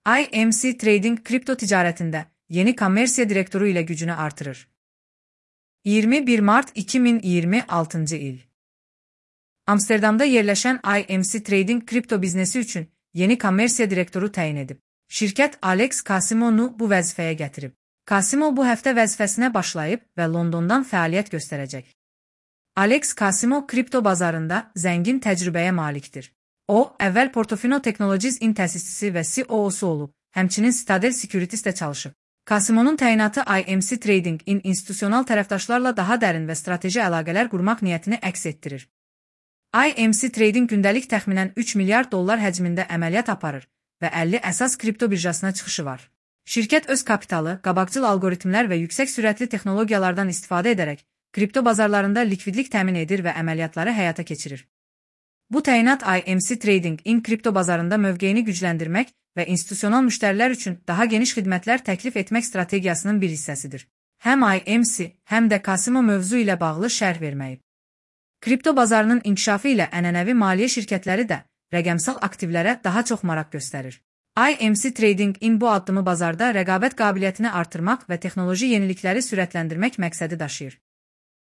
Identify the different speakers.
Speaker 1: IMC Trading kripto ticarətində yeni kommersiya direktoru ilə gücünü artırır. 21 Mart 2026 il. Amsterdamda yerləşən IMC Trading kripto biznesi üçün yeni kommersiya direktoru təyin edib. Şirkət Alex Casimov'u bu vəzifəyə gətirib. Casimov bu həftə vəzifəsinə başlayıb və Londondan fəaliyyət göstərəcək. Alex Casimov kripto bazarında zəngin təcrübəyə malikdir. O, əvvəl Portofino Technologies in təsisçisi və CEO-su olub, həmçinin Citadel Securities'də çalışıb. Casimov'un təyinatı IMC Trading in institusional tərəfdaşlarla daha dərin və strateji əlaqələr qurmaq niyyətini əks etdirir. IMC Trading gündəlik təxminən 3 milyard dollar həcmində əməliyyat aparır və 50 əsas kripto birjasına çıxışı var. Şirkət öz kapitalı, qabaqcıl algoritmlər və yüksək sürətli texnologiyalardan istifadə edərək kripto bazarlarında likvidlik təmin edir və əməliyyatları həyata keçirir. Bu təyinat IMC Trading in kripto bazarında mövqeyini gücləndirmək və institusional müştərilər üçün daha geniş xidmətlər təklif etmək strategiyasının bir hissəsidir. Həm IMC, həm də Casimov mövzu ilə bağlı şərh verməyib. Kripto bazarının inkişafı ilə ənənəvi maliyyə şirkətləri də rəqəmsal aktivlərə daha çox maraq göstərir. IMC Trading in bu addımı bazarda rəqabət qabiliyyətini artırmaq və texnoloji yenilikləri sürətləndirmək məqsədi daşıyır.